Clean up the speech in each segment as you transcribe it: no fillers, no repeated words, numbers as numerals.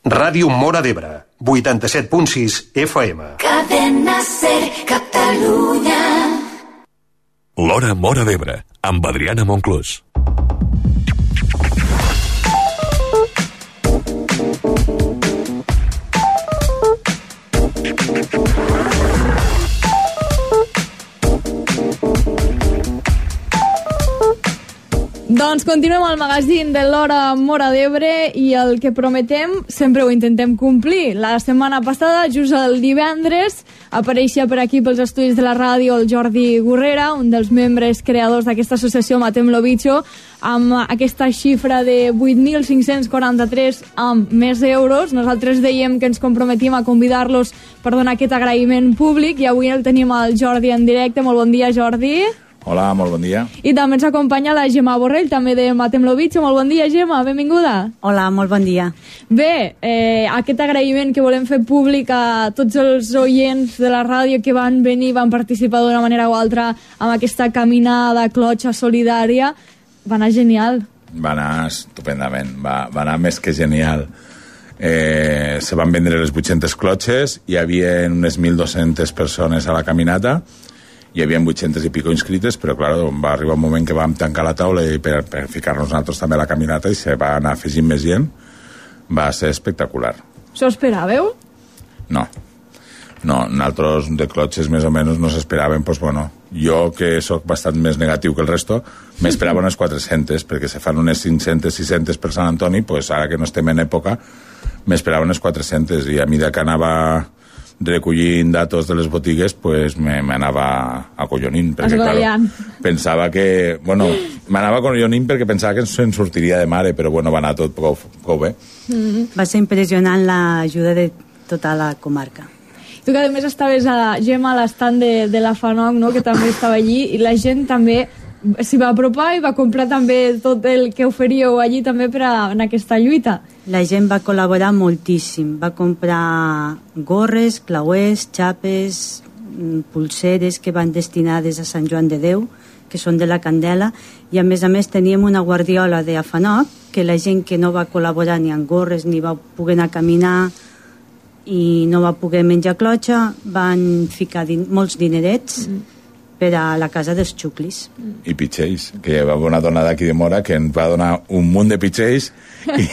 Ràdio Móra d'Ebre, 87.6 FM. Cadena Ser, Catalunya. L'Hora Móra d'Ebre, amb Adriana Monclús. Doncs continuem al magazín de l'Hora Móra d'Ebre i el que prometem sempre ho intentem complir. La setmana passada, just el divendres, apareixia per aquí pels estudis de la ràdio el Jordi Gurrera, un dels membres creadors d'aquesta associació Matem lo Bicho, amb aquesta xifra de 8.543 amb més euros. Nosaltres dèiem que ens comprometim a convidar-los per donar aquest agraïment públic i avui el tenim al Jordi en directe. Molt bon dia, Jordi. Hola, molt bon dia. I també ens acompanya la Gemma Borrell, també de Matem lo Bicho. Molt bon dia, Gemma, benvinguda. Hola, molt bon dia. Bé, aquest agraïment que volem fer públic a tots els oients de la ràdio que van venir, van participar d'una manera o altra amb aquesta caminada, clotxa solidària, va anar genial. Va anar estupendament, va anar més que genial. Se van vendre les 800 clotxes, hi havia unes 1.200 persones a la caminata, hi havia 800 i pico inscrites, però clar, va arribar un moment que vam tancar la taula i per ficar-nos nosaltres també a la caminata i se va anar afegint més gent. Va ser espectacular. S'ho esperàveu? No, nosaltres de clotxes més o menys no s'esperaven, doncs bueno, jo que sóc bastant més negatiu que el resto, m'esperava unes 400, perquè se fan unes 500, 600 per Sant Antoni, doncs ara que no estem en època, m'esperava unes 400, i a mesura que anava recollint datos de les botigues, pues m'anava acollonint, perquè claro, pensava que, bueno, m'anava acollonint perquè pensava que se'n sortiria de mare, però bueno, va anar tot prou bé. Va ser impressionant l'ajuda de tota la comarca. Tu que a més estaves a Gemma a l'estand de la FANOC, no?, que també estava allí, i la gent també s'hi va apropar i va comprar també tot el que oferíeu allí també en aquesta lluita. La gent va col·laborar moltíssim, va comprar gorres, clauers, xapes, pulseres que van destinades a Sant Joan de Déu, que són de la Candela, i a més teníem una guardiola de FANOC que la gent que no va col·laborar ni amb gorres ni va poder anar a caminar i no va poder menjar clotxa, van ficar molts dinerets per a la casa dels xuclis. I pitxells, que hi va haver una dona d'aquí de Mora que ens va donar un munt de pitxells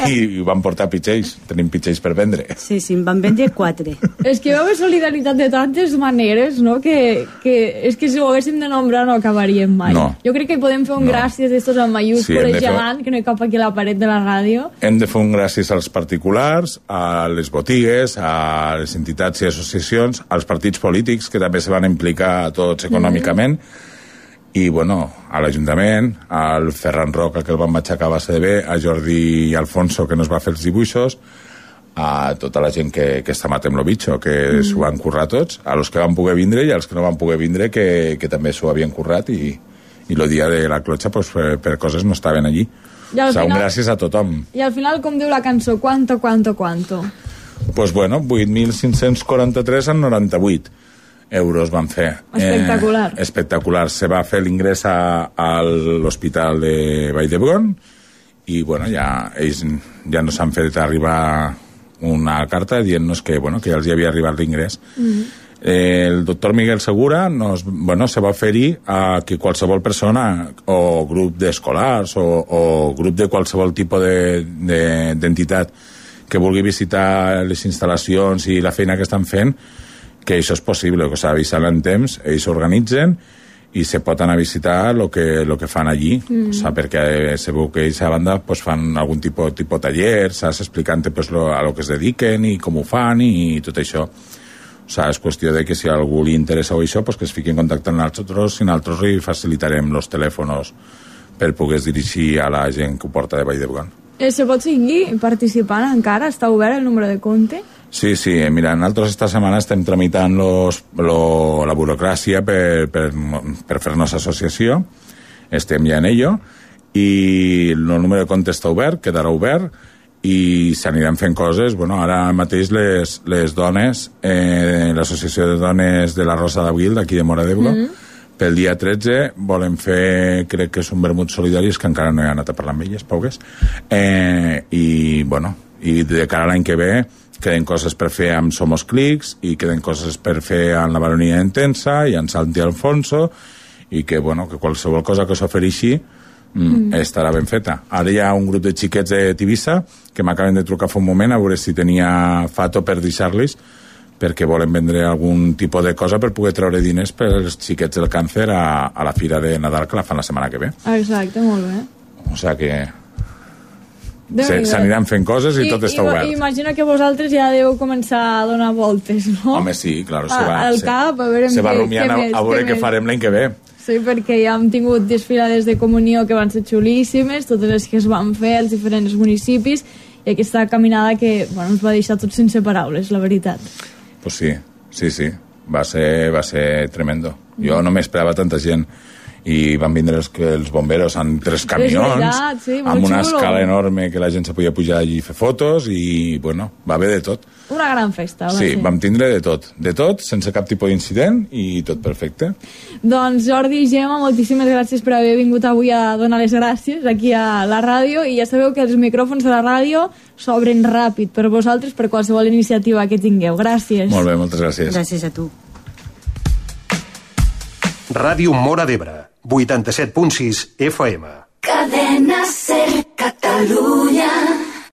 i van portar pitxells. Tenim pitxells per vendre. Sí, en van vendre 4. És que hi va haver solidaritat de tantes maneres, no?, que és que si ho haguéssim de nombrar no acabaríem mai. No. Jo crec que podem fer un gràcies d'estos en mayúscules gegant, que no hi cap aquí a la paret de la ràdio. Hem de fer un gràcies als particulars, a les botigues, a les entitats i associacions, als partits polítics, que també se van implicar tots econòmicament, i bueno, a l'Ajuntament, al Ferran Roca, que el van aixecar a base de bé, a Jordi i Alfonso, que nos va fer els dibuixos, a tota la gent que està Matem lo Bicho, que s'ho van currar tots, a los que van poder vindre i als que no van poder vindre, que també s'ho havien currat, i el dia de la clotxa pues, per coses no estaven allí. O sigui, un gràcies a tothom. I al final, com diu la cançó, ¿cuánto? Pues bueno, 8.543 en 98 euros van fer. Espectacular. Espectacular. Se va fer l'ingrés a l'Hospital de Vall d'Hebron i bueno, ells ja nos han fet arribar una carta dient-nos que, bueno, que ja els hi havia arribat l'ingrés. El doctor Miguel Segura se va oferir a que qualsevol persona o grup d'escolars o grup de qualsevol tipus d'entitat que vulgui visitar les instal·lacions i la feina que estan fent, que això és possible, que s'ha avisat en temps, ells s'organitzen i se pot anar a visitar lo que fan allí, o sea, perquè se veu que ells a banda pues, fan algun tipus taller, saps, explicant pues, a lo que es dediquen i com ho fan i tot això. O sea, és qüestió de que si a algú li interessa o això, pues, que es fiqui en contacte amb nosaltres i nosaltres li facilitarem els telèfons per poder dirigir a la gent que ho porta de Vall d'Hebron. Se pot seguir participant encara? Està obert el número de compte? Sí, mira, nosaltres esta setmana estem tramitant la burocràcia per fer-nos associació, estem ja en ello, i el número de compte està obert, quedarà obert, i s'aniran fent coses. Bueno, ara mateix les dones, l'associació de dones de la Rosa d'Abril, d'aquí de Móra d'Ebre, pel dia 13 volen fer, crec que és un vermut solidari, que encara no he anat a parlar amb elles, poques, i bueno, I de cara a l'any que ve queden coses per fer amb Somos Clics i queden coses per fer amb la Baronia Intensa i amb Santi Alfonso, i que, bueno, que qualsevol cosa que s'ofereixi estarà ben feta. Ara hi ha un grup de xiquets de Tivissa que m'acaben de trucar fa un moment a veure si tenia fato per deixar-los, perquè volen vendre algun tipus de cosa per poder treure diners per als xiquets del càncer a la fira de Nadal que la fan la setmana que ve. Exacte, molt bé. O sigui que s'aniran fent coses i tot està obert. Imagino que vosaltres ja deveu començar a donar voltes, no? Home, sí, clar, al cap, a veure se va rumiant a veure què farem l'any que ve. Sí, perquè ja hem tingut desfilades de comunió que van ser xulíssimes, totes les que es van fer als diferents municipis, i aquesta caminada que, bueno, ens va deixar tots sense paraules, la veritat. Pues sí, va ser tremendo. Jo no m'esperava tanta gent, i van vindre els bomberos amb 3 camions, amb una escala enorme que la gent se podia pujar allí i fer fotos, i bueno, va haver de tot. Una gran festa. Sí, vam tindre de tot, sense cap tipus d'incident, i tot perfecte. Doncs Jordi i Gemma, moltíssimes gràcies per haver vingut avui a donar les gràcies aquí a la ràdio, i ja sabeu que els micròfons de la ràdio s'obren ràpid per vosaltres, per qualsevol iniciativa que tingueu. Gràcies. Molt bé, moltes gràcies. Gràcies a tu. Ràdio Móra d'Ebre, 87.6 FM. Cadena Ser Catalunya.